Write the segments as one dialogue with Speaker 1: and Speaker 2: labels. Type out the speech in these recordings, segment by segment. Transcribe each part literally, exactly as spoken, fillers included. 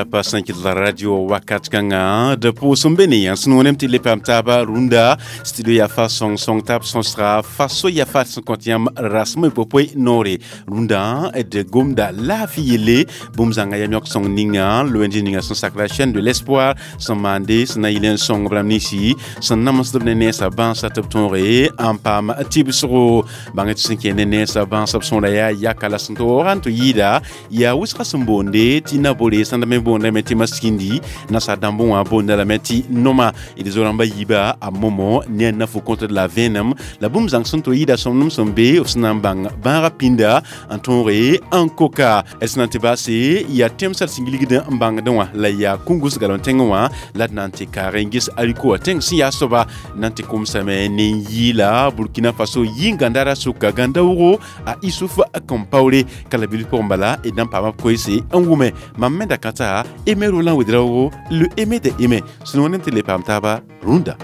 Speaker 1: Pagb sẽn kɩt la radio wakat kãngã d pʋʋs n be ne yã sẽn wẽnem tɩ le paam taaba rũndã studio yaa fa sõng-sõng tab sõsga faso yaa fa sẽn kõt yãmb rasem y popoe noore rũndã d gomda laafɩ yelle bũmb zãnga yam yõk sõng ninga l'O N G ninga sẽn sak la Chaîne de l'espoir sẽn maande sẽn na yɩl n sõng b rãmb ninsi sẽn namsd b ne nensã bãnsã tɩ b tõoge n paam tɩbsgo bãng tɩ sẽn kẽ ne nensã bãnsã b sõora yaa yaka la sẽn tɩ waoogã n tɩ yɩɩda yaa wʋsgã sẽn boonde tɩ nabore sãn me boondame tɩ maskindi nasa dãmbẽ wã boonda lame tɩ noma d zo-rãmba yiiba a momo ne a nafo kõtd la vẽenem la bũmb zãng sẽn to yɩɩda sõmnem sẽn be b sẽn na n bãng bãagã pĩnda n tõoge n koka d sẽn na n tɩ baase yaa tẽmsã d sẽn gilgd n bãngdẽ wã la yaa kũngus galem tẽngẽ wã la d na n tɩ kaag n ges ariko wã tẽng sẽn yaa soaba na n tɩ komsame ne n yɩɩla Burkina Faso yĩn-gãndara sʋka gãndaoogo a Isuf Compaoré ka la bil pʋgẽ bala d na n paama b koeese n wʋme mam me da ka t'a Aimé Roland Ouédraogo, le Aimé de Aimé sẽn wẽnem tɩ le paam taaba rũndã.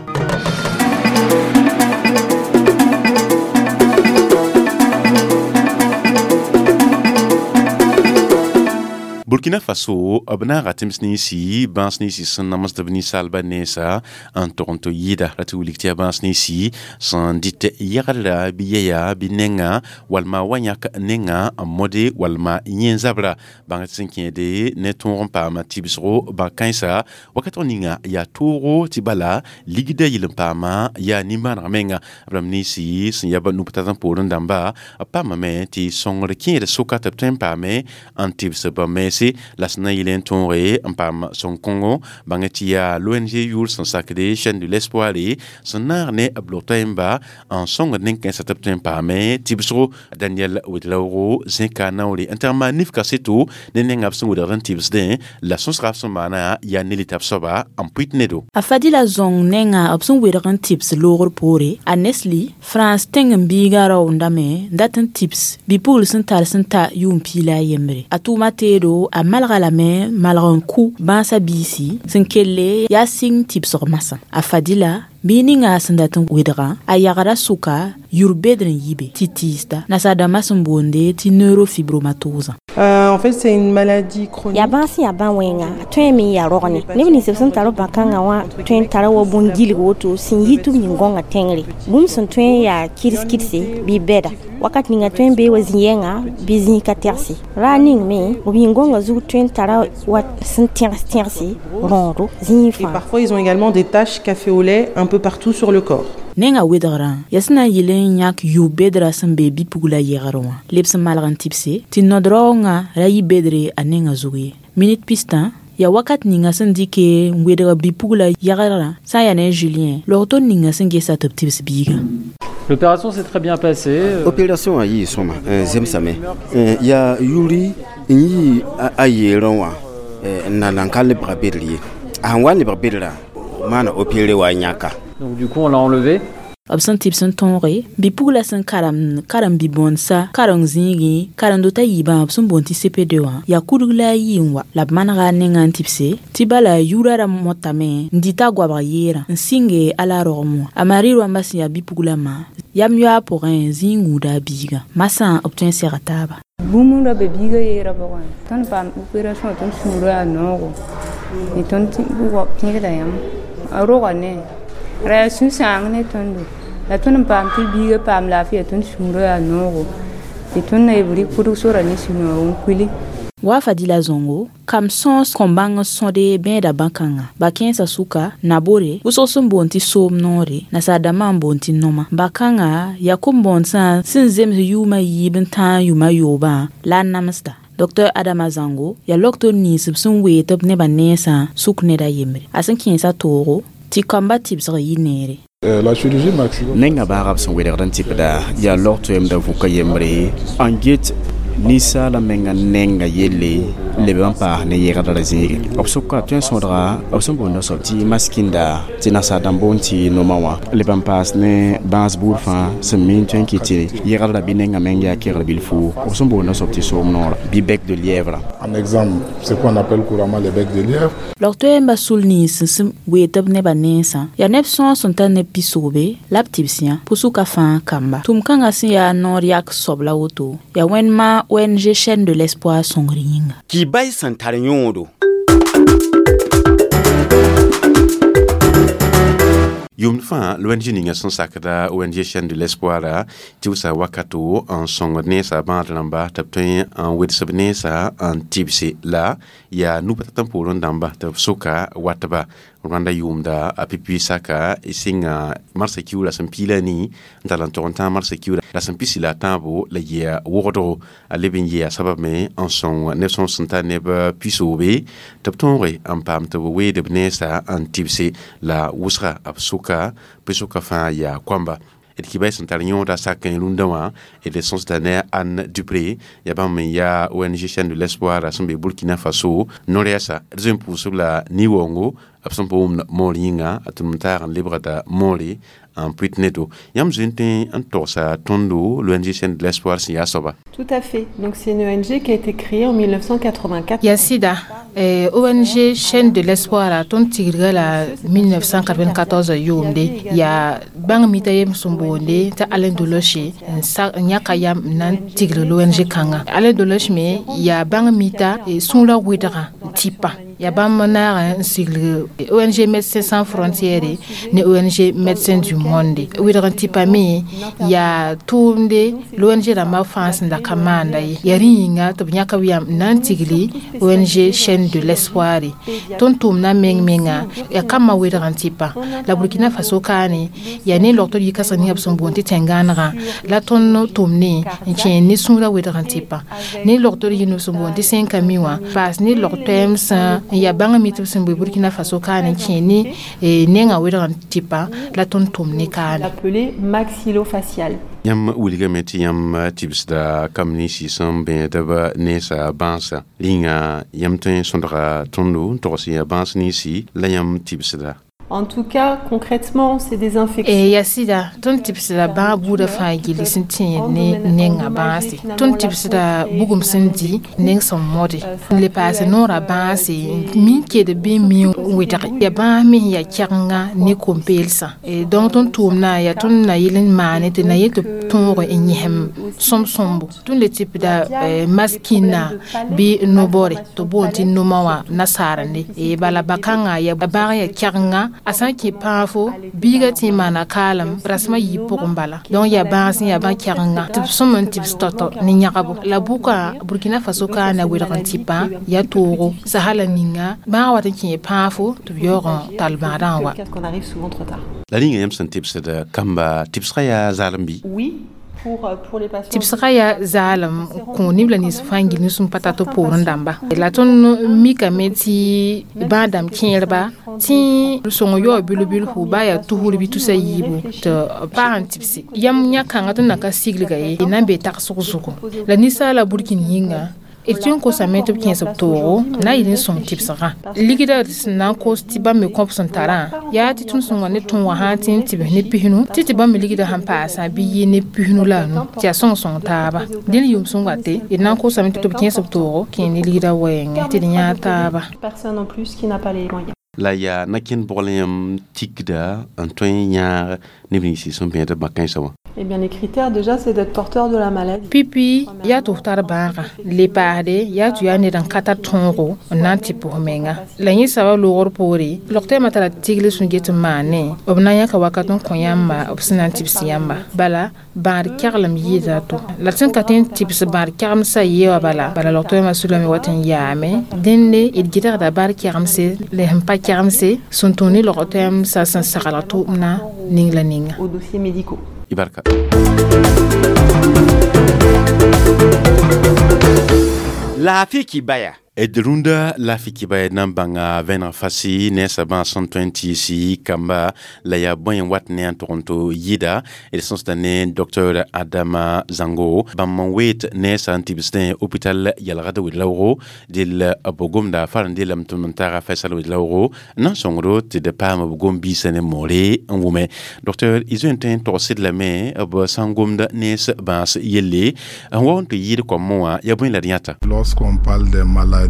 Speaker 1: Burkina Faso b naaga tẽms ninsi bãas ninsi sẽn namsd b ninsaalbã nensa n tog n tɩ yɩɩda ra tɩ wilg tɩ yaa bãas ninsi sẽn dɩt yɛgdra bɩ yɛya bɩ nenga walma wa yãk nenga n mode walma yẽ zabra bãng tɩ sẽn kẽede ne tõog n paama tɩbsgo bã-kãensa wakat ninga yaa toogo tɩ bala ligda yɩl n paama yaa nimbãaneg menga b rãmb ninsi sẽn yaa nuptad n poorẽ dãmba b paamame tɩ sõngr kẽed soka tɩ b tõe n paame n tɩbs b mense la sẽn na n yɩl n tõoge n paam sõng-kõngo bãng tɩ yaa l'O N G yʋʋr sẽn sakde Chaîne de l'espoir sẽn naag ne b log-toaemba n sõngd nen-kãensã tɩ b tõe n paame tɩbsgo. Daniel Ouédraogo zẽka naoore n tag n maan nif kaseto ne nengã b sẽn wedgd n tɩbsdẽ la sõsga b sẽn maana yaa ne litab soaba n pʋɩt nedo.
Speaker 2: A Fadila zõng nenga b sẽn wedg n tɩbs loogr poore a Nesli France tẽng n biiga raoondame n dat n tɩbs bi-pugl sẽn tar sẽn ta yʋʋm piig la a yembre a tʋʋma teedo a malga lame malg n kʋ bãasã biisi sẽn kelle yaa sɩng tɩbsg masã a Fadila bii ninga sẽn dat n wedgã a yagda sʋka yur bedr n yi be tɩ tɩɩsda nasaar-dãmbã sẽn boonde tɩ neurofibromatosã.
Speaker 3: Euh, en fait, c'est une maladie chronique.
Speaker 4: Yaa bãas sẽn yaa bã-wẽnga a tõe me n yaa rogne neb nins b sẽn tar b bã-kãngã wã tõe n tara wa bũn-gilg woto sẽn yi tɩ b yĩn gõnga tẽngre bũmb sẽn tõe n yaa kɩds-kɩdse bɩ bɛda wakat ninga tõe n bee wa zĩ-yɛnga bɩ zĩig ka tɛgse raar ning me b yĩn gõnga zug tõe n tara wa sẽn tẽgs tẽgse rõodo zĩig
Speaker 3: Et
Speaker 4: fãa.
Speaker 3: Parfois, ils ont également des taches café au lait un peu partout sur le corps.
Speaker 2: Nenga wedgrã yaa sẽn na n yɩl n yãk yʋ-bedrã sẽn be bi-pugla yɛgr wã leb sẽn malg n tɩbse tɩ nod-raoongã ra yɩ bedre a nenga zug ye minit pistã yaa wakat ninga sẽn dɩke n wedg bi-pugla yɛgrã sã n yaa ne Julien log-tor ninga sẽn gesa tɩ b tɩbs biigã.
Speaker 5: L'opération s'est très bien passée.
Speaker 6: Opération wã yɩɩ sõma n zemsame yaa yuri n yɩ a yeerẽ wã n na nan ka lebga bedr ye a sẽn wa n lebg bedrã maana opéré wa yãka.
Speaker 5: Donc du coup, on l'a enlevé.
Speaker 2: B sẽn tɩbs n tõoge bi-pugla sẽn karem karen-bi-bõndsa karen zĩigẽ karen-dotã yiibã b sẽn boond tɩ C P deux wã yaa kudg la a yɩ n wa la b manega a nengã n tɩbse tɩ bala yʋʋra ra motame n dɩta a goabg yeerã n sɩnge ala rogem wã a Mari rõamba sẽn yaa bi-puglã ma yam yoa pʋgẽ zĩig gũuda a biigã masã b tõe n sega taaba.
Speaker 7: Bũmb ra be biigã yeerã pʋgẽ tõnd paam opération tõnd sũurã yaa noogo tɩ tõnd pẽgda yãmb a roga ne ra yaa sũ-sãang ne tõndo la tõnd n paam tɩ biigã paam laafɩya tõnd sũurã yaa noogo tɩ tõnd na b rɩk pʋdg sora ne sũ-noog n kuili.
Speaker 2: Wa Fadila Zongo kam sõs kõ-bãng n sõde bẽeda bã-kãngã ba kẽensã sʋka nabore wʋsg sẽn boond tɩ soom noore nasaar-dãmbã n boond tɩ noma ba-kãngã yaa kom-bõondsã sẽn zems yʋʋmã yiib n tãag yʋma yoobã la a namsda. Docteur Adama Zango yaa logtor nins b sẽn wee tɩ b nebã nensã sʋk ned a yembre a sẽn kẽesa toogo tɩ kambã tɩbsg yɩ neere.
Speaker 8: Nenga baagã b sẽn wedgd n tɩbda yaa log toɛɛmda vʋka yembre n get. Ninsaala menga nenga yelle leb n paas ne yegdra zĩige b sʋka tõe n sõdga b sẽn boonda soab tɩ maskinda tɩ nasaar dãmb boond tɩ noma wã leb n paas ne bãas buud fãa sẽn mi n tõe n kɩt tɩ yegdra bɩ nenga meng yaa kegr bilfu b sẽn boonda soab tɩ soom noora bɩ bec de lièvre.
Speaker 9: En exemple, ce qu'on appelle couramment les becs de lièvre.
Speaker 2: Log-toɛɛmbã sul nins sẽn weet b nebã nensã yaa neb sõor sẽn tar neb pisoobe la b tɩbs yã pʋsʋka fãa kamba tʋm-kãngã sẽn yaa noor yak soab la woto yaa wẽnma O N G Chaîne de l'Espoir sõngr yĩnga.
Speaker 6: Kibay sẽn tar yõodo.
Speaker 1: Yʋʋmd fãa l'O N G ninga sẽn sakda O N G Chaîne de l'Espoir tɩ wʋsa wakato n sõngd nensa bãad rãmba tɩ b tõe n wedsb nensa n tɩbse la yaa nu-pa tɩ poorẽ dãmba tɩ b soka watba Rwanda yʋʋmda a pipi saka sɩnga marsã kiuura sẽn piila nii n tall n tog n tãag marsã kiuura la sẽn pisi la a tãabo la yɩa wogdgo a leb n yɩa sabab me n sõng neb sõs sẽn tar neb pisoobe tɩ b tõoge n paam tɩ b weed b nensa n tɩbse la wʋsga b soka pʋɩ-soka fãa yaa koamba d kibay sẽn tar yõoda sak n rũndã wã d sõsda ne Anne Dupré yaa bãmb n yaa O N G Chaîne de l'Espoir sẽn be Burkina Faso no-rɛɛsa d zoe n pʋʋsb la ni-waoongo b sẽn pa wʋmd moor yĩnga tɩ m taag n lebgda moore n pʋɩt nedo yãmb zoe n tõe n togsa tõndo l'O N G Chaîne de l'Espoir sẽn yaa soaba.
Speaker 3: Tout à fait. Donc c'est une O N G qui a été créée en mille neuf cent quatre-vingt-quatre.
Speaker 10: Ya sida eh, O N G Chaîne de l'Espoir a tõnd tigrga la mille neuf cent quatre-vingt-quatorze yʋʋmde yaa bãng mita yem sẽn boonde t'a Alain Deloche n yãka yam n na n tigr l'O N G kãnga. Alain Deloche me yaa bãng mita sũurã wɩdgã n tɩpa ya bãmb naag n sigl O N G Médecins Sans Frontières ne O N G Médecins du Monde wɩdg n tɩpa me yaa tʋʋmde l'O N G rãmbã fãa sẽn da ka maanda ye yaa rẽ yĩnga tɩ b yãka b yam n na n tigli O N G Chaîne de l'Espoir tõnd tʋʋmdã meng menga yaa kambã wɩdg n tɩpa la Burkina Faso kaane yaa ne logtr yikasg ninga b sẽn boond tɩ tẽn-gãanegã la tõnd tʋʋmne n kẽ ne sũurã wɩdg n tɩpa ne logtr yĩnd b sẽn boond tɩ sẽn-kami wã paas ne log-toɛɛm sẽn n yaa bãng mi tɩ b sẽn bee Burkina Faso kaane kẽ ne nenga wɩdg n tɩpa la tõnd tʋm ne kaane.
Speaker 3: Appelé maxillofacial.
Speaker 1: Yãmb wilgame tɩ yãmb tɩbsda kamb ninsi sẽn bẽedb nensa bãasã rĩnga yãmb tõe n sõdga tõndo n togs yaa bãas ninsi la yãmb tɩbsda.
Speaker 3: En tout cas, concrètement, c'est des infections.
Speaker 10: E ya sida tõnd tɩbsda bãag buudã fãa gilli sẽn tẽed ne nenga bãase tõnd tɩbsda bugum sẽn di neng sẽn mode n le paase noorã bãase min ked bɩ mi wɩdge yaa bãas me yaa kɛgenga ne kom-peelsã donc tõnd tʋʋmdã yaa tõnd na yel n maane tɩ na yel tɩ tõog n yẽsem sõm-sõmbo tõnd le tɩpda maskinna bɩ no-bɔre tɩ boond tɩ noma wã nasaarende bala ba-kãngã yaa bãag yaa kɛgenga a sã n kẽ pãafo biiga tɩ n maana kaalem rasmã yiib pʋgẽ bala donc yaa bãas n yaa bã kɛgenga tɩ b sõm n tɩbs tɔtɔ ne yãgabo la bʋka Burkina Faso kaana wɩdg n tɩpã yaa toogo sasa la ninga bãag wat n kẽ pãafo tɩ b yaoog n tall bãadã n wa.
Speaker 1: La rĩnga yãmb sẽn tɩbsd kamba tɩbsgã yaa zaalem bɩ?
Speaker 3: Oui.
Speaker 10: Tɩbsgã yaa zaalem kõ neb la nins fãa n gil sũm pa tar tɩ poorẽ dãmba la tõnd mikame tɩ bãag dãmb kẽerba tɩ sõng yaoo bil-bilfu baa yaa tusr bɩ tusa yiibu tɩ b paag n tɩbse yãmb yã-kãngã tõnd na ka siglga ye na n be tagsg zugu la ninsaala burkin yĩnga d tɩ n kosame tɩ b kẽes b toogo na yɩl n sõng tɩbsgã ligda sẽn na n kos tɩ bãmb me kõb sẽn tarã yaa tɩ tõnd sẽn wa ne tõog wã sã n tɩ n tɩbs ne pisnu tɩ tɩ bãmb me ligda sẽn paasã bɩ yɩ ne pisnu la a nu tɩ yaa sõng sõng taaba dẽn yʋʋm sẽn wate d na n kosame tɩ b kẽes b toogo kẽ ne ligda wɛɛngẽ tɩ d yãag taaba.
Speaker 3: Personne en plus qui n'a pas les moyens.
Speaker 1: La yaa na-kẽnd bogl yãmb tikda n tõe n yãag neb ninsi sẽn bẽed b bã-kãensã wã.
Speaker 3: Eh bien, les critères, déjà, c'est d'être porteur de la maladie.
Speaker 10: Pipi, yaa tɩ f tar bãagã le paasde yaa tɩ yaa ned n ka tar tõogo n na n tɩ pʋs menga la yẽ soaba loogr poore log-tɛɛmã tara tigl sẽn get n maane b na n yãka wakat n kõ yãmba b sẽn na n tɩbs yãmba bala bãad kɛglem yɩɩda to la sẽn ka tõe n tɩbs bãad kɛgemsã yee wã bala bala log-toɛɛmã sulame wat n yaame dẽnde d gɩdgda bãad kɛgemse la sẽn pa kɛgemse sẽn tũ ne log-toɛɛmsã sẽn saglg tʋʋmdã ning la ninga.
Speaker 3: Aux dossiers médicaux.
Speaker 1: Ibarka.
Speaker 6: Laafɩ kibaya.
Speaker 1: D rũndã laafɩ kɩba d na n bãnga vẽneg fasi nensã bãas sẽn tõe n tɩɩs kamba la yaa bõe n wat ne n tʋg n to yɩɩda. D sõsda ne Docteur Adama Zango, bãmb n weet nensã n tibsdẽ hôpital yalgd wed-raoogo dell b gomda far n dellame tʋm n taaga Faisal Wed-raoogo n na n sõngdo tɩ d paam b gom-biisã ne moore n wʋme. Docteur, y zoe n tõe n togsd lame b sã n gomd nens bãas yelle n wa n tɩ yɩɩd koamẽ wã, yaa bõe la d yãta?
Speaker 9: Lorsqu'on parle des maladies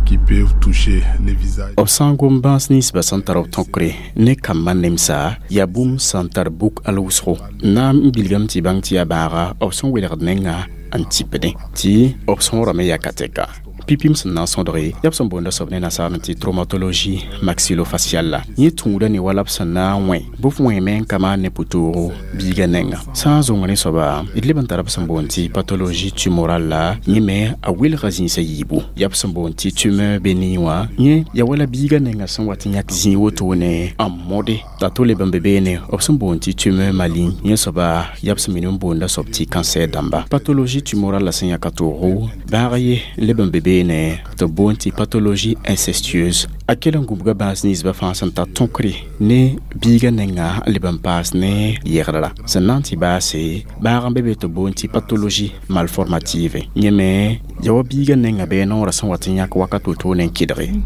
Speaker 9: qui peuvent toucher le visage.
Speaker 8: B sã n gom bãas ninsbã sẽn tar b tõkre ne kambã nemsa, yaa bũmb sẽn tar buk al wʋsgo na n bilgame tɩ bãng tɩ yaa bãaga b sẽn welgd nenga n tipdẽ tɩ b sõorame yaa ka tɛka. Pipim sẽn na n sõdge yaa b sẽn boonda soab ne nasaar tɩ traumatologie maxillofaciale la yẽ tũuda ne wala b sẽn na n wẽ bɩ f wẽeme n ka maan ne pʋtoogo biigã nengã. Sã n zõng rẽ soaba, d leb n tara b sẽn boond tɩ pathologie tumorale la yẽ me a welga zĩisã yiibu, yaa b sẽn boond tɩ tumeur bénigne wã, yẽ ya wala biigã nengã sẽn wat n yãk zĩig wotone n mode t'a to leb n be beene b sẽn boond tɩ tumeur maligne, yẽ soaba yaa b sẽn minim n boonda soab tɩ cancer dãmba. Pathologie tumorale la sẽn yãka toogo bãag ye leb n be beene tɩ b boond tɩ pathologie incestueuse, a kell n gũbga bãas ninsbã fãa sẽn tar tõkre ne biigã nengã n leb n paas ne yɛgdra sẽn na n tɩ baase. Bãag n be be tɩ b boond tɩ pathologie malformative, yẽ me ya wa biigã nengã bɩ noorã sẽn wat n yãk wakat wotone n kɩdge.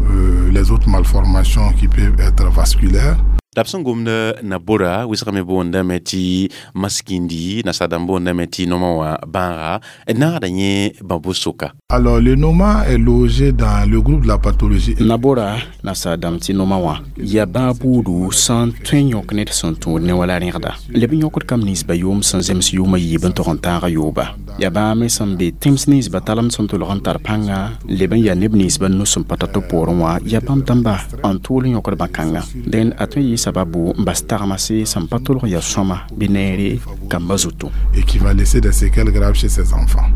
Speaker 9: Euh, les autres malformations qui peuvent être vasculaires.
Speaker 1: La b sẽn gomd nabora wɩsgame boondame tɩ maskindi, nasaadãmb boondame tɩ noma wã bãaga naagda yẽ bãbo soka.
Speaker 9: Alors, le noma est logé dans le groupe de la pathologie.
Speaker 8: Nabora nasaadãmb tɩ noma wã yaa bãag buudu sẽn tõe n yõk ned sẽn tũud ne wala rẽgda leb n yõkd kam ninsba yʋʋm sẽn zems yʋʋmã yiib n tog n tãaga yooba, yaa bãag me sẽn be tẽms ninsba talemd sẽn tolg n tar pãnga leb n yaa neb ninsba nus sẽn pa tar tɩ poorẽ wã, yaa bãmb dãmba n tʋʋl n yõkd bã-kãnga. Dẽn a tõe n yɩ sababu n bas tagmase sẽn pa tolg ya sõma bɩ neere kambã zutu.
Speaker 9: Et qui va laisser des séquelles graves chez ces enfants.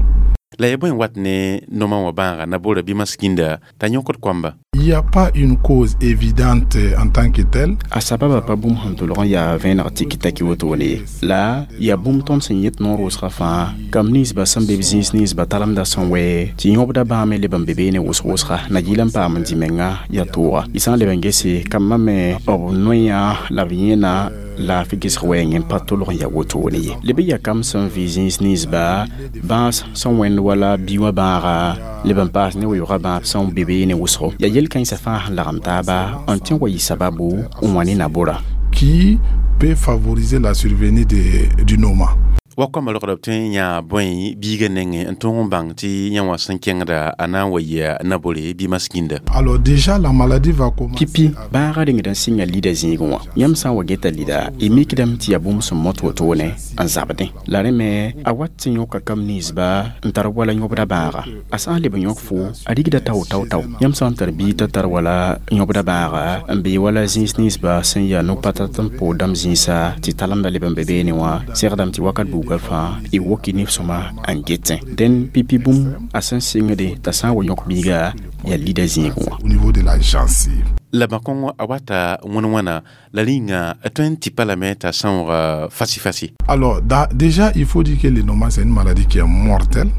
Speaker 1: La ya bõe n wat ne noma wã bãaga nabora bɩ maskinda t'a yõkd koamba?
Speaker 9: Il n'y a pas une cause évidente en tant que telle.
Speaker 8: A sababa pa bũmb sẽn tolg n yaa vẽeneg tiki taki wotone ye, la yaa bũmb tõnd sẽn yet noor wʋsgã fãa kam ninsba sẽn be b zĩis ninsba talemda sẽn wɛ tɩ yõbda bãame leb n be beene wʋsg wʋsga na yɩl n paam n dĩ menga yaa tooga. Y sã n leb n gese kambã me b noyã la b yẽna laafɩ gesg wɛɛngẽ n pa tolg n yaa wotone ye. Leb n yaa kam sẽn vɩ zĩis ninsba bãas sẽn wẽnd wala bi wã bãaga leb n paas ne weoogã bãab sẽn be beene wʋsgo, yaa yel-kãensã fãa sẽn lagem taaba n tõe n wa yɩ sababu n wã ne nabora.
Speaker 9: Qui peut favoriser la survenue de, du noma.
Speaker 1: Wa koamã rogda b tõe n yãa bõe biigã nengẽ n tõog n bãng tɩ yã wã sẽn kẽngda a na n wa yɩa nabore bɩ maskinda?
Speaker 9: Alors déjà, la maladie va commencer.
Speaker 8: Pipi bãagã rengd n sɩnga lida zĩigẽ wã, yãmb sã n wa geta lida, y mikdame tɩ yaa bũmb sẽn mot wotone n zabdẽ la rẽ me a wat tɩ yõka kam ninsba n tar wala yõbda bãaga. A sã n leb n yõk fo, a rigda tao tao tao. Yãmb sã n tar biig t'a tar wala yõbda bãaga n bee wala zĩis ninsba sẽn yaa no-patat n pood dãmb zĩisa tɩ talemda leb n be beene wã, segdame tɩ wakat buugã fãa y woki neb sõma n getẽ. Dẽn pipi bũmb a sẽn sɩngde t'a sã n wa yõk biiga yaa lida zĩigẽ wã.
Speaker 9: Au niveau de la gencive.
Speaker 1: La bã-kõng a wata wãn-wãna la rĩnga tõe n tɩpa lame t'a sãoog fasi-fasi.
Speaker 9: Alors, da, déjà, il faut dire que le noma, c'est une maladie qui est mortelle.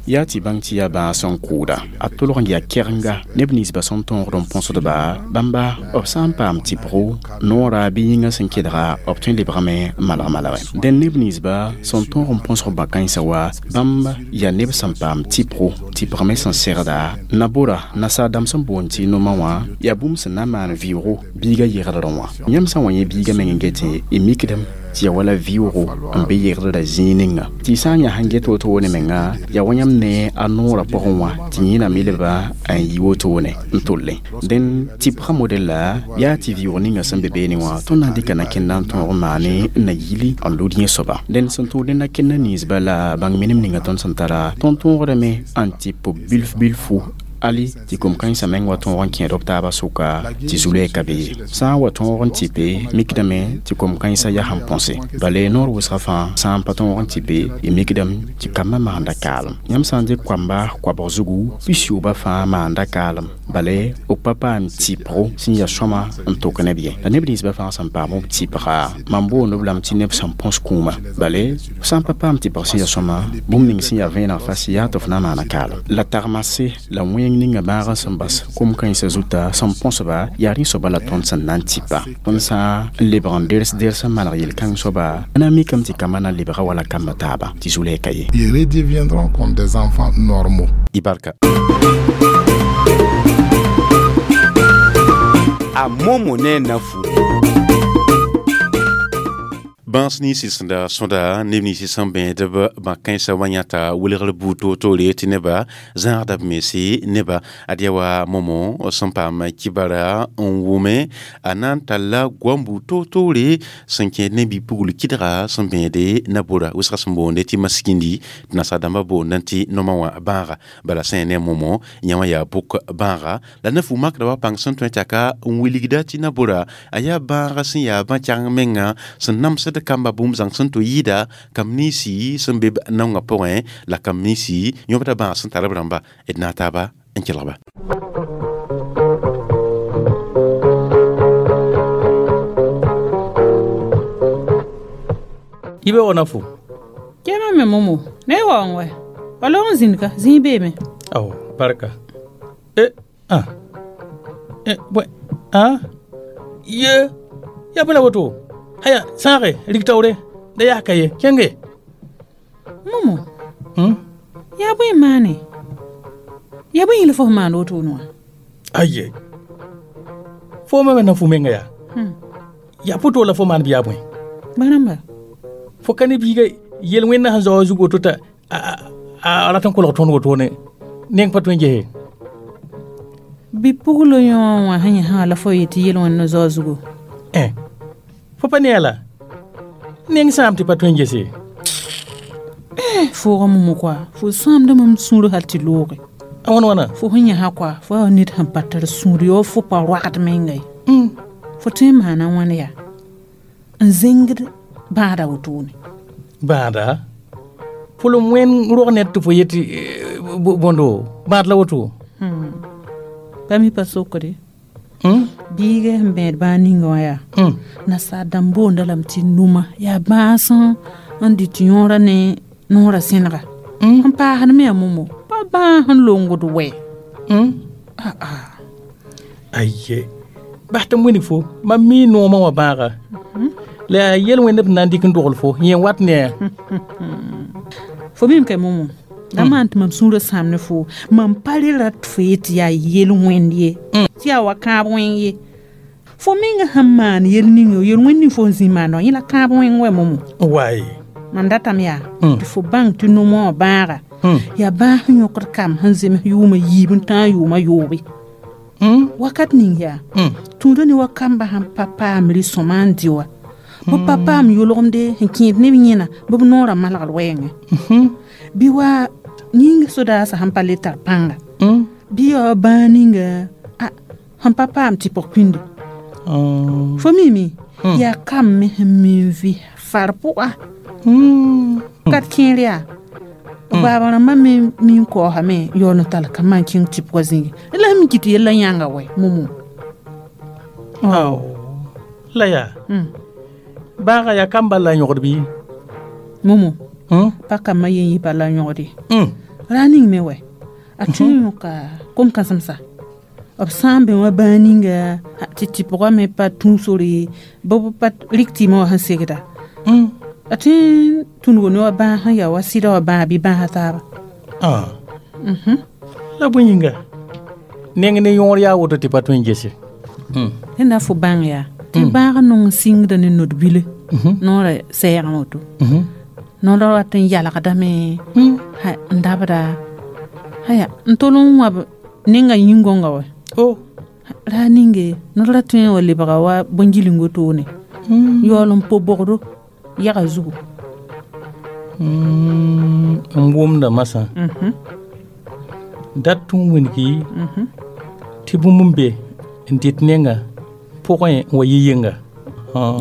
Speaker 8: Yaa tɩ bãng tɩ yaa bãag sẽn kʋʋda, a tolg n yaa kɛgenga neb ninsba sẽn tõogd n põsdba bãmba b sã n paam tɩpgo noora bɩ yĩngã sẽn kedga, b tõe n lebgame malg malgẽ. Dẽn neb ninsba sẽn tõog n põsg bã-kãensã wa bãmb yaa neb sẽn paam tɩpgo tɩpgme sẽn segda nabora nasaar-dãmb sẽn boond tɩ noma wã yaa bũmb sẽn na n maan vɩʋʋgo biigã yegdrẽ wã. Yãmb sã n wa yẽ biigã meng n getẽ, y mikdame tɩ yaa wala vɩʋʋgo n be yegdrã zĩig ninga tɩ y sã n yã sẽn get wotone menga yaa wa yãmb ne a noorã pʋgẽ wã tɩ yẽname leba n yi wotone n tollẽ. Dẽn tɩpgã model la yaa tɩ vɩʋʋg ninga sẽn be beene wã tõnd na n dɩka na-kẽnda n tõog n maane n na yili n lud yẽ soaba. Dẽn sẽn tʋʋd ne na-kẽndã ninsba la bãng minim ninga tõnd sẽn tara tõnd tõogdame n tɩp bilf bilfu ali tɩ kom-kãensã meng wa tõog n kẽed b taabã sʋka tɩ zu-loɛɛ ka be ye. Sã n wa tõog n tɩpe, mikdame tɩ kom-kãensã yaa sẽn põse bale noor wʋsgã fãa sã n pa tõog n tɩpe, y mikdame tɩ kambã maanda kaalem. Yãmb sã n dɩk koamba koabg zugu, pis-yoobã fãa maanda kaalem bale b pa paam tɩpgo sẽn yaa sõma n tok neb ye. La neb ninsbã fãa sẽn paam b tɩpga, mam boond b lame tɩ neb sẽn põs kũuma, bale f sã n pa paam tɩpg sẽn yaa sõma, bũmb ning sẽn yaa vẽeneg fas yaa tɩ f na n maana kaalem. La tagmase la wẽng tẽng ninga bãagã sẽn bas kom-kãensã zuta sẽn põsba yaa rẽ soaba la tõnd sẽn na n tɩpa tõnd sã n lebg n ders ders n maneg yel-kãng soaba na n mikame tɩ kambã na n lebga wala kambã taaba tɩ zu-lɛɛka ye.
Speaker 9: Ils redeviendront comme des enfants normaux.
Speaker 1: Ibarka.
Speaker 6: A momo ne nafu.
Speaker 1: Bãs ninsi sẽn da sõda neb ninsi sẽn bẽedb bã-kãensã wã yãta welgr buud toor-toore tɩ nebã zãagda b mense neba ad yaa wa momo sẽn paam kibara n wʋme a na n talla goam buud toor-toore sẽn kẽed ne bi-pugl kɩdga sẽn bẽede na-bora wʋsga sẽn boonde tɩ maskindi tɩ nasaar-dãmbã boondã tɩ noma wã bãaga bala sẽn ya ne momo yã wã yaa bʋk bãaga la na-fu makda wa pãng sẽn tõe tɩ aka n wilgda tɩ na-bora a yaa bãaga sẽn yaa bã-kɛgeng menga sẽn namsd kamba bũmb zãng sẽn tɩ yɩɩda kam ninsi sẽn be naongã pʋgẽ la kam ninsi yõbda bãag sẽn tar b rãmba d na n taaba n kelgba.
Speaker 11: Ibe wona fo
Speaker 10: kema me momo ne wa ngwe wala on zinka zin be me
Speaker 11: aw barka e ah e bwe ah ye ya bala woto haya sãage rig taoore da yaa ka ye kẽnge
Speaker 10: momo
Speaker 11: hmm?
Speaker 10: Yaa bõe maane yaa bõe yĩl fo sẽn maan wotone wã
Speaker 11: aye fo me na fu menga yaa
Speaker 10: hmm.
Speaker 11: Yaa pʋto la fo maan bɩ yaa bõe
Speaker 10: bãrãmba
Speaker 11: fo ka ne biiga yel-wẽnna sẽn zao a zug woto t'a a rat n kolg tõnd wotone neng pa tõe n gese
Speaker 10: bi-puglo yõ wã sẽn yẽ sã la fo yetɩ yel-wẽnd zao zugu
Speaker 11: eh fo pa ne a la neng sãam tɩ pa tõe n gese
Speaker 10: eh fooga momo koa fo sãamda mam sũur hal tɩ looge
Speaker 11: a wãn wãna
Speaker 10: fo sẽn yẽsa koa fo yaa ned sẽn pa tar sũur yo fo pa roagd menga ye fo tõe n maana wãn yaa n zẽngd bãada wotone
Speaker 11: bãada pʋlem wẽn rog ned tɩ fo yetɩ bõndo bãad la woto
Speaker 10: pa mi pa sokde biiga sẽn bẽed bãag ninga wã yaa nasaar dãmb boonda lame tɩ numa yaa bãas n dɩt yõora ne noorã sẽnega n paasd me yaa momo pa bãas n longd wɛ
Speaker 11: aye bas tɩ m wilg fo mam mi noomã wã bãaga la yaa yel-wẽnd b na n dɩk n dogl fo yẽ wat ne a
Speaker 10: fo mim ka momo da maan tɩ mam sũurã sãam ne fo mam pa re rat fo yetɩ yaa yel-wẽnd ye tɩ yaa wa kãab wẽng ye fo menga sẽn maan yel ning yel-wẽnd ning fo n zĩ maanda yẽ la kãab wẽng wɛ momo
Speaker 11: wae
Speaker 10: mam datame yaa tɩ fo bãng tɩ nomã wã bãaga yaa bãas sẽn yõkd kam sẽn zems yʋʋmã yiib n tãag yʋʋmã yoobe wakat ning yaa tũuda ne wa kamba sẽn pa paam rɩ-sõma n dɩ wa bɩ pa paam yʋlgemde sẽn kẽed neb yẽna bɩ b noorã malgr wɛɛngẽ bɩ wa yĩng sodaasã sẽn pa le tar pãnga bɩ yaa wa bãag ninga a sẽn pa paam tɩpg pĩnde fo mime yaa kam me sẽn mi n vɩ far pʋga kat kẽer yaa baaba rãmbã me min kaoosame yaool n tall ka maan kẽng tɩpgã zĩige la sẽn kɩt yellã yãnga wɛ momo
Speaker 11: la yaa bãaga yaa kam bal la yõgd bɩ
Speaker 10: momo pa kambã yen yɩ bal la yõgde ra ning me wɛ a tõe n yõka kom-kãsemsa b sã n bẽ wã bãag ninga tɩ tɩpgã me pa tũ sore bɩ b pa rɩk tɩɩmã wã sẽn segda a tõe n tũnugo ne wa bãag sẽn yaa wa sɩda wã bãag bɩ bãasa taaba
Speaker 11: la bõe yĩnga neng ne yõor yaa woto tɩ pa tõe n gese
Speaker 10: rẽnda fo bãng yaa tɩ bãag nong sɩngda ne nod-bile noorã sɛɛgã woto noorã wat n yalgdame n dabda aya n tol n wãb nenga yĩn-gõnga wɛ ra ninge nod ra tõe n wa lebga wa bõn-giling wotone yaool n po bogdo yaga zugu
Speaker 11: n wʋmda masã dat tũ n wilgi tɩ bũmb n be n dɩt nenga pʋgẽ n wa yɩ yɩnga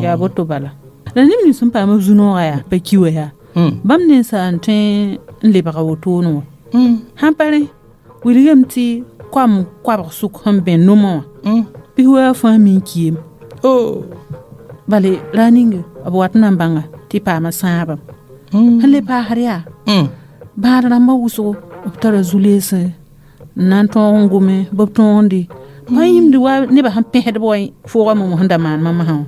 Speaker 10: yaa boto bala la neb nins sẽn paam b zu-noogã yaa pa ki wa yaa bãmb nensa n tõe n lebga wotone wã sãn pa rẽ wilgame tɩ koam koabg sʋk sẽn bẽ nomã wã bɩ wa fãa mi n kiame bale ra ninge b wat n na n bãnga tɩ paama sãabame sẽn le paasd yaa bãad rãmbã wʋsgo b tara zu-leese N na n tõog n gome bɩ b tõogde pa yĩmd wa nebã sẽn pẽsdb wa foogã mom sẽn da maan mamsã wã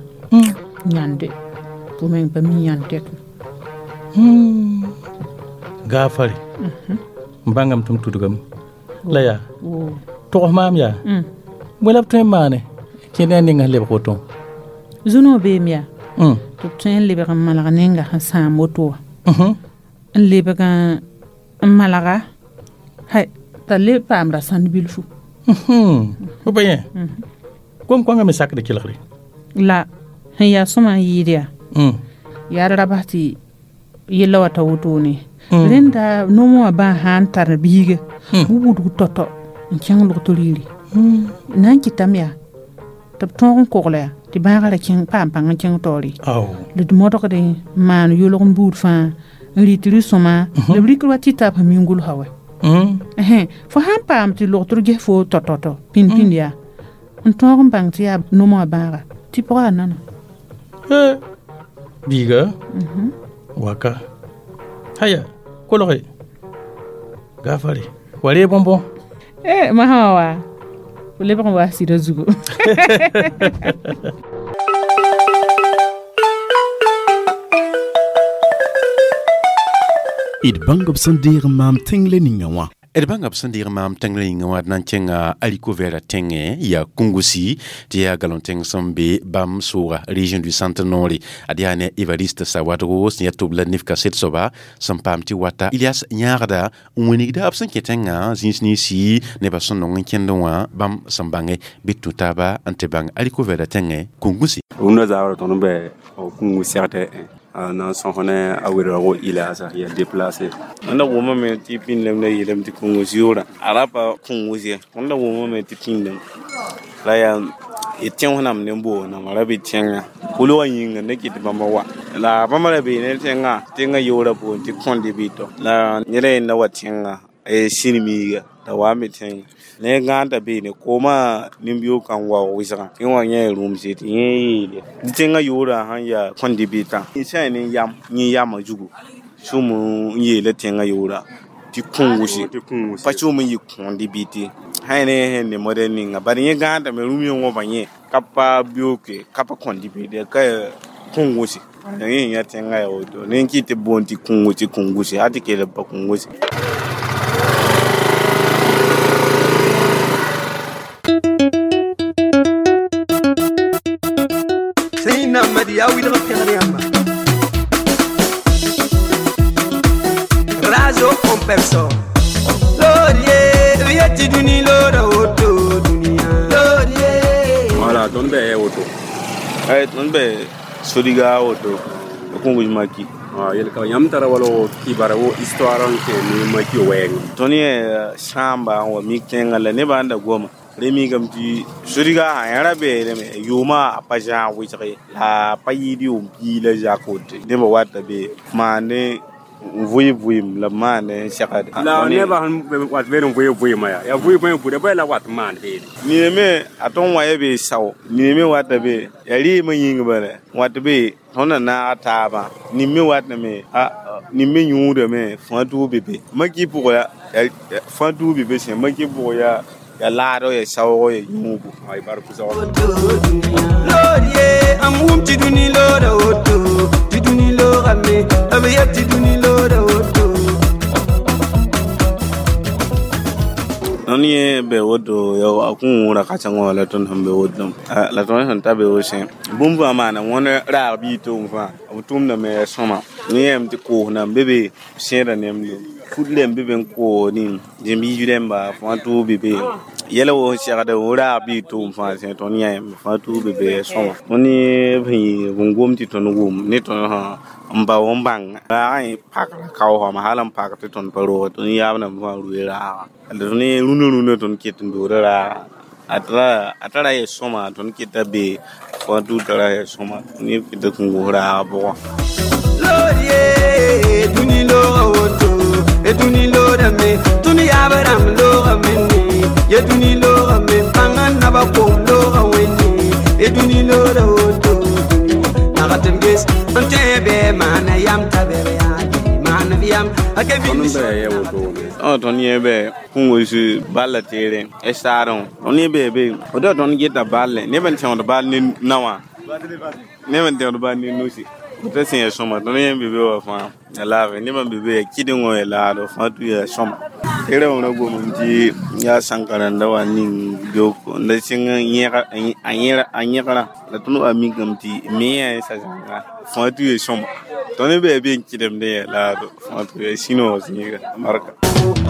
Speaker 10: yãnde fo meng pa mi yãnd tɛk
Speaker 11: gaafare n bãngame tɩ m tudgame la yaa togs maam yaa bõe la b tõe n maane kẽ ne a ninga sẽn lebg woto
Speaker 10: zũnug beem yaa tɩ b tõe n lebg n malg ninga sẽn sãam woto wã n lebg n malga hay t'a le paam ra sãnd bilfu
Speaker 11: fo pa yẽ kom-kõngã me sakd kelgre
Speaker 10: la sẽn yaa sõma n yɩɩd yaa yaa d ra bas tɩ yella wa ta wotone rẽnda noomã wã bãa sã n tar biiga bɩ wudg tɔ-tɔ n kẽng logtr yiri na n kɩtame yaa tɩ b tõog n kogla yaa tɩ bãagã ra kẽng paam pãng n kẽng taoore la d modgde n maan yolg n buud fãa n rɩt rɩ-sõma la b rɩkr wa tɩ ta b sẽn mi n gʋlsa wɛ fo sãn paam tɩ logtr ges fo tɔ-tɔ-tɔ pĩnd-pĩnd yaa n tõog n bãng tɩ yaa noomã wã bãaga tɩ pʋga yaa nana
Speaker 11: biiga waka haya kolge gaafare wa ree bõn-bõ
Speaker 10: eh masã wa fo lebg n wa sɩdã zugu
Speaker 1: d bãng b sẽn deeg n maam tẽng-le ninga wã d bãnga b sẽn deeg maam tẽng yĩngã wã d na n kẽnga haricot vert tẽngẽ yaa Kungusi tɩ yaa galon tẽng sẽn be bãmb sooga région du centre noore ad yaa ne Evariste Sawadgo sẽn yaa tʋb la nif kaset soaba sẽn paam tɩ wata Ilias yãagda n wĩnigda b sẽn kẽ tẽngã zĩis ninsi nebã sẽn nong n kẽndẽ wã bãmb sẽn bãnge bɩ tũ taaba n tɩ bãng haricot vert tẽngẽ Kungusi
Speaker 12: rũndã zabrã tõnd n bɛ Kungus segdẽ na n sõs ne a wɩrgo Iliasa ya déplacé
Speaker 13: tõnd da wʋmame tɩ pĩndame la yeelame tɩ Kungus yʋʋra a ra pa Kungus ye tõnd da wʋmame tɩ pĩndame la yaa y tẽns nam ne boosnam a ra be tẽngã kolgã yĩnga n da kɩt tɩ bãmba wa la bãmba ra bee ne tẽngã tẽngã yoorã boond tɩ kõnde bɩtɔ la ned a yenda wa tẽngã sĩrmiiga la wa n be tẽngã ne gãanda beene koomã nin-beoog kan waoog wɩsgã tɩ wã yẽ rũmse tɩ yẽ yeele tɩ tẽngã yoorã sẽn yaa kõnde bɩtã sã yaa ne yam yẽ yamã zugu sũm n yeela tẽngã yoorã tɩ kũngusi pa sũm n yɩ kõnde bɩte sã yaa ne sẽn ne modɛl ninga bad yẽ gãandame rũm yẽ wãba yẽ ka pa beooke ka pa kõnde bɩte ka kũngusi yẽ yã tẽngã yaa woto ne n kɩt tɩ boond tɩ kũngusi kũngusi hal tɩ kell pa kũngusi
Speaker 14: Ya wilg pẽgr yãmba razo en personne lorie b yet tɩ dũni loora woto dũniyã lorie
Speaker 12: wala tõnd bɛ woto
Speaker 13: ay tõnd bɛ sodiga woto Kungus maki
Speaker 12: yel ka yãmb tara wala kibara wo histoire n kẽ ne maki wɛɛngẽ
Speaker 13: tõnd yẽ sãamba n wa mik tẽngã la nebã n da goma re mikame tɩ sodiga sã yã ra beelame yʋʋmã a pa zãag wɩsg ye la a pa yɩɩd yʋʋm pii la zak woto nebã wata be maane n vʋɩ vʋɩem la b maand n segd
Speaker 12: la nebã sẽn wat beed n vʋɩ vʋɩmã yaa yaa vʋɩ bõe buda bõe la wat n maan beene
Speaker 13: nina me a tõnd wa ya be sao nina me wata be yaa rɩɩmã yĩng bala wat be tõnd na naag taabã nin me watame nin me yũudame fãa tʋʋg be be maki pʋgã ya fãa tʋʋg be be sẽ maki pʋgã yaa ya laado ya saoogo ya yũugo
Speaker 12: ay bar pʋsgo
Speaker 14: lorie am wʋm tɩ dũni loora woto tɩ dũni loogame b yet tɩ dũni loora woto
Speaker 13: Tõnd yẽ be woto ya a kũura kãsengã wã la tõnd sẽn be woto la tõnd sẽn ta be wosẽ bũmb fãa maana wãn raag bii tʋʋm fãa b tʋmdame ya sõma ne yẽem tɩ koos nan be be sẽeda nemdo fut rẽmb be be n koos ning zĩm-biis rẽmba fãa tʋʋg be be yɛla wo sẽn segda wo raag bii tʋʋm fãa sẽ tõnd yãem fãa tʋʋg be be ya sõma tõnd yẽ b n gom tɩ tõnd wʋm ne tõnd sã n bao n bãng raagã yẽ pakra kaoosame hal n pak tɩ tõnd pa roog tõnd yaab nam fãa rue raaga la tõnd yẽ rũnã rũnã tõnd ket n doora raaga a tara a tara ya sõma tõnd keta be fãa tʋʋg tara ya sõma tõnd yẽ keta kũngus raaga pʋgã
Speaker 14: lorie dũni looga woto e dũni loodame tõnd yaab rãmb loogame ne ye dũni loogame pãngã naba koom looga wẽnne e dũni looda woto nag tɩ b ges n tõe bɩ maana yam t'a bɩ b yaade maan b yam
Speaker 13: Tõnd bɩ ya woto tõnd yẽ bɩ kũus balla teere saarẽ tõnd yẽ bee be woto tõnd geta balle neb n tẽgd bal ne naowã neb n tẽgd bal ne nusi t'a sẽn ya sõma tõnd yẽ be be wã fãa ya laafɩ nebã n be be ya kɩdengõ ya laado fãa tʋ ya sõma teerã wã ra gomame tɩ yaa sãnka-rãndã wa ning beoog n da sɩng a yẽgrã la tõnd wa mikame tɩ me yã sa zãnga fãa tʋ ya sõma tõnd be ya be n kɩdemdẽ ya laado fãa tʋ ya sũ-noog zĩiga barka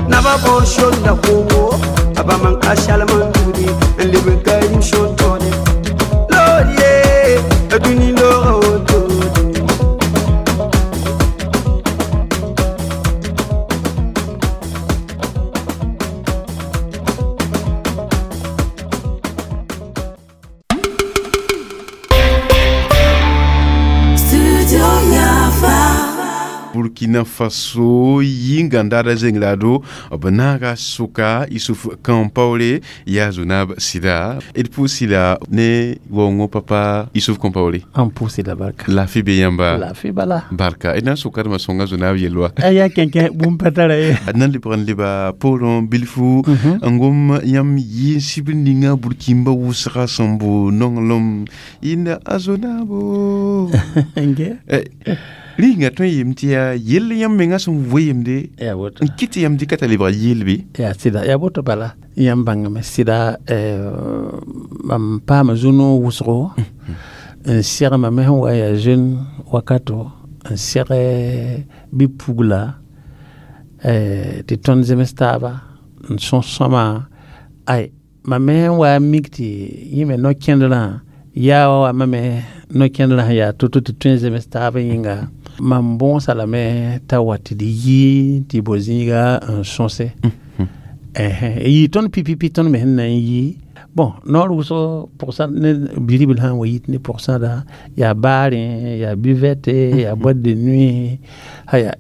Speaker 14: naba bor shonda kowo aba man ka shalman dudi n leb n ka yim shon tone loriye duni looga woto.
Speaker 1: Burkina Faso yĩngã zeng lado b naaga sʋka Isuf Kampaore yaa Zonab sɩda d pʋʋs la ne waoongo papa Isuf Kampaore
Speaker 15: an pʋʋs la barka
Speaker 1: laafɩ be yãmba
Speaker 15: laafɩ bala
Speaker 1: barka d na n sʋkadmã sõnga Zonab yel wa
Speaker 15: yaa kẽnkẽ bũmb pa tara ye
Speaker 1: d na n lebg n leba poorẽ bilfu n gom yãmb yɩ n sibr ninga burkimba wʋsga sẽn bo nonglem yĩnda a Zonabo rĩnga tõe n yeem tɩ yaa yell yãmb menga sẽn weemde n kɩt tɩ yãmb dɩka t'a lebga yeelbe
Speaker 15: yaa sɩda yaa boto bala yãmb bãngame sɩda mam paama zu-noog wʋsgo n segma me sẽn wa yaa jeune wakato n seg bɩ-pugla tɩ tõnd zems taaba n sõs sõma ay mam me sẽn wa mik tɩ yẽ me no-kẽndrã yaa wa mame no-kẽndrã sẽn yaa to-to tɩ tõe n zems taab yĩnga mam bõosa lame t'a wa tɩ d yi tɩ bo zĩiga n sõse yi tõnd pipipi tõnd me sẽn na n yi bon noor wʋsg pʋgsa ne biribl sãn wa yit ne pʋgsãda yaa baarẽ yaa buvette yaa boîte de nuit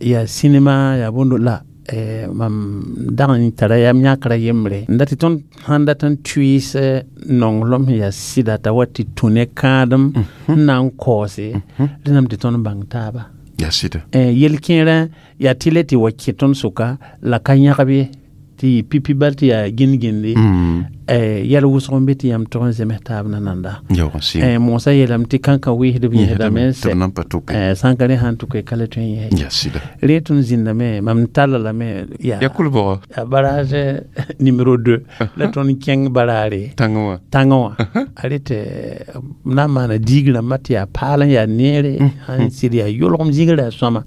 Speaker 15: yaa cinéma yaa bõndo la mam dag n tara yam yãkra yembre n dat tɩ tõnd sãn dat n tʋɩɩs nonglem sẽn yaa sɩda t'a wa tɩ tũ ne kãadem n na n kaoose rẽndame tɩ tõnd bãng taaba
Speaker 1: yaa sɩda
Speaker 15: yel-kẽerã yaa tɩ le tɩ wa kẽ tõnd sʋka la ka yãgb ye tɩ yɩ pipi bal tɩ yaa gĩnd-gĩndi yɛl wʋsg n be tɩ yãmb tog n zems taab nananda moosã yeelame tɩ kãnkã wɩɩsdb yẽsdame n sɛ sãn ka rẽ sãn tʋke ka le tõe n yɛs re tõnd zĩndame mam talla lame
Speaker 1: yaa kʋlbgɔ
Speaker 15: yaa barrage numéro deux la tõnd kẽng baraare
Speaker 1: tãngã wã
Speaker 15: tãngã wã a re tɩ na n maana diig rãmbã tɩ yaa paal n yaa neere n sɩd yaa yʋlgem zĩigrã yaa sõama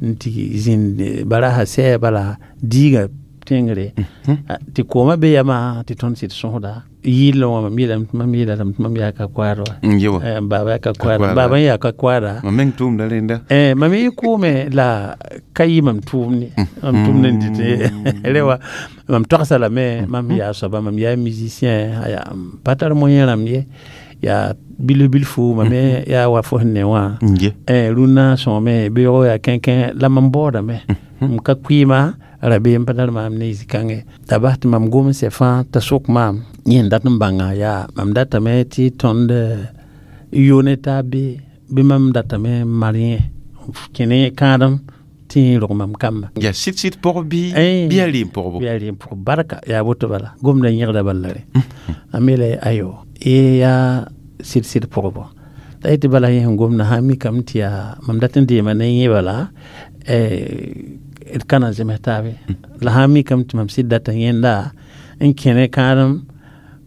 Speaker 15: n tɩ zĩnd barasa sɛɛ bala diigã tẽngre tɩ koomã be yamã tɩ tõnd sɩd sõsda yɩɩlẽ wã mam yeelame tɩ mam yeelame tɩ mam yaa ka koaad wa baaba yaa ka koaada baaba n yaa ka koaada
Speaker 1: mam meng tʋʋmda rẽnda
Speaker 15: mam yɩ kʋʋme la ka yɩ mam tʋʋm ne mam tʋʋmd n dɩt re wa mam togsa lame mam yaa soaba mam yaa musicien aya m pa tar moyen rãmb ye yaa bilf bilfu mam me yaa wa fo sẽn ne wã rũnnã sõame beoogo yaa kẽnkẽ la mam baoodame m ka kʋɩɩma rabeem pa tar maam ne zĩ-kãngẽ t'a bas tɩ mam gom n sɛ fãa t'a sok maam yẽ n dat n bãnga yaa mam datame tɩ tõnd yo ne taab be bɩ mam datame n mar yẽ kẽ ne kãadem tɩ yẽ rog mam kamba
Speaker 1: yaa sɩd-sɩd pɔg bɩ bɩ yaa reem pɔgbo
Speaker 15: yaa reem pɔgb barka yaa woto bala gomda yẽgda bala re a me la ayo ye yaa sɩd-sɩd pɔgbo t'a yetɩ bala yẽ sẽn gomda sã n mikame tɩ yaa mam dat n deema ne yẽ bala d ka na zems taabe la sã n mikame tɩ mam sɩd data yẽnda n kẽ ne kãadem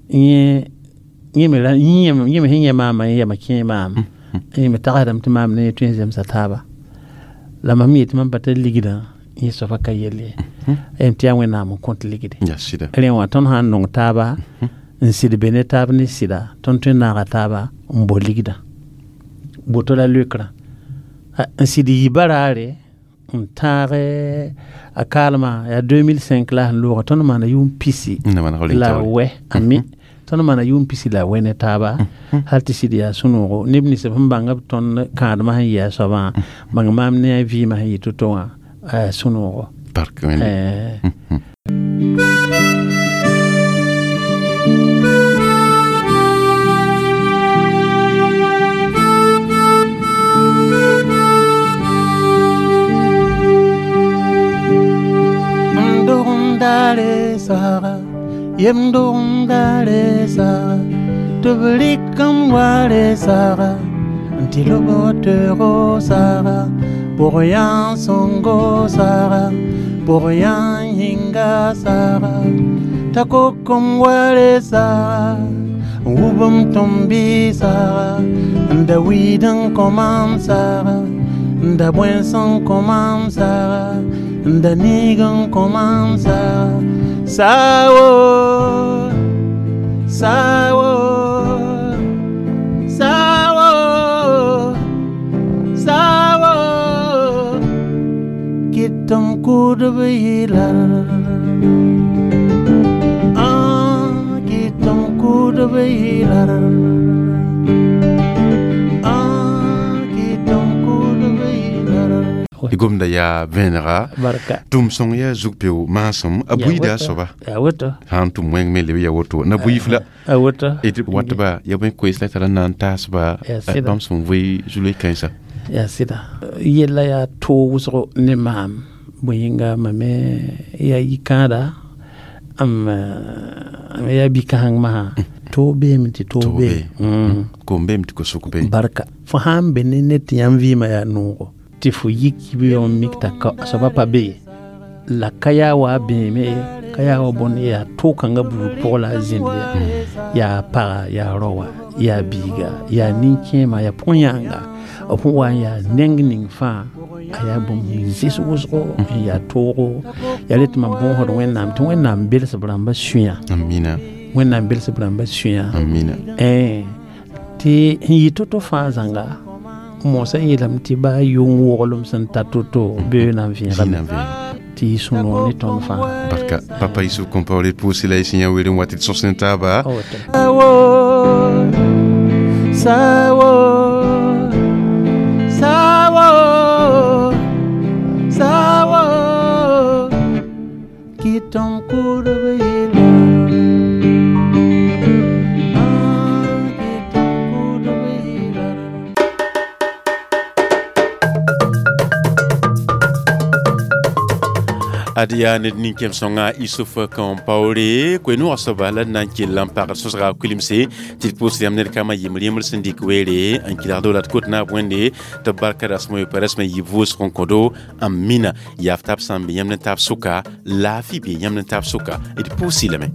Speaker 15: yẽ me sẽn yẽ maamã yẽ yama kẽe maam yẽ me tagsdame tɩ maam ne yẽ tõe n zemsa taaba la mam yetɩ mam pa tar ligdã yẽ soaba ka yell ye yem tɩ yaa wẽnnaam n kõt ligde rẽ wã tõnd sã n nong taaba n sɩd be ne taab ne sɩda tõnd tõe n naaga taaba n bo ligdã boto la leokrã n sɩd yi baraare n tãag a kaalmã yaa deux mille cinq la sẽn looga tõnd maana yʋʋm pisi la wɛ ami tõnd maana yʋʋm pisi la wɛ ne taaba hal tɩ sɩd yaa sũ-noogo neb nins b sẽn bãng b tõnd kãadmã sẽn yɩ a soabã bãng maam ne a vɩɩmã sẽn yɩ to-to wã sũ-noogo Yem dogem saga tɩ b rɩk m wa re saga n tɩ lob teoogo saga bʋg yã sõngo saga bʋg yã yĩnga saga t'a kok m wa re saga n wub m tõm-bɩ saga n da wiid n kõ mam saga n da bõens n kõ mam saga n da niig n kõ mam saga sawo sawo sawo sawo kɩt m kʋʋdb yɩlar kɩt m kʋʋdb yɩlar kɩt m kʋʋdb yɩlar
Speaker 1: y gomda yaa vẽenega tʋm sõng yaa zug-peo maasem a buiida a soaba sã n tʋm wẽng me leb ya woto na buiif la d watba ya bõe koees la tara n na n taasba bãmb sẽn vɩ zu-loe kãensa
Speaker 15: yaa sɩda yella yaa toog wʋsgo ne maam bõe yĩnga mam me yaa yikãada m yaa bi-kãseng masã toog beeme tɩ toog bee
Speaker 1: kom beeme tɩ ko-sʋk bee
Speaker 15: barka fo sãn be ne ned tɩ yãmb vɩɩmã yaa noogo tɩ fo yik yib n mik t'a soaba pa be la ka yaa wa bẽeme ka yaa wa bõnd yaa toog-kãngã buud pʋg la a zĩnd yaa yaa paga yaa raoa yaa biiga yaa nin-kẽema yaa pʋg-yãanga b sẽn wa n yaa neng ning fãa a yaa bũmb sẽn zɩs wʋsgo n yaa toogo yaa re tɩ mam bõosd Wẽnnaam tɩ Wẽnnaam bels b rãmbã sũyã Wẽnnaam bels b rãmbã sũyã tɩ n yɩ to-to fãa zãnga mosã yeelame tɩ baa yʋng woglem sẽn ta to-to bee na n vẽegame tɩ y sũ-noog ne tõnd fãa
Speaker 1: barka papa Youssouf Compaoré pʋʋsɩ la y sẽn yã weer n wa tɩ d sõs ne taaba
Speaker 15: sawo sawo sawo kɩt m kʋʋdb yɩla
Speaker 1: ad yaa ned nin-kẽem sõnga Youssouf Compaoré koe-noogã soaba la d na n kell n pagd sõsga kuilemse tɩ d pʋʋsd yãmb ned kambã yem rẽmbr sẽn dɩk weere n kɩlgdo la d kot naab wẽnde tɩ b barka rasem pa rasmã yɩ vʋʋsg n kõdo n mina yaaf tab sã n be yãmb ne taab sʋka laafɩ bee yãmb ne taab sʋka d pʋʋs lame.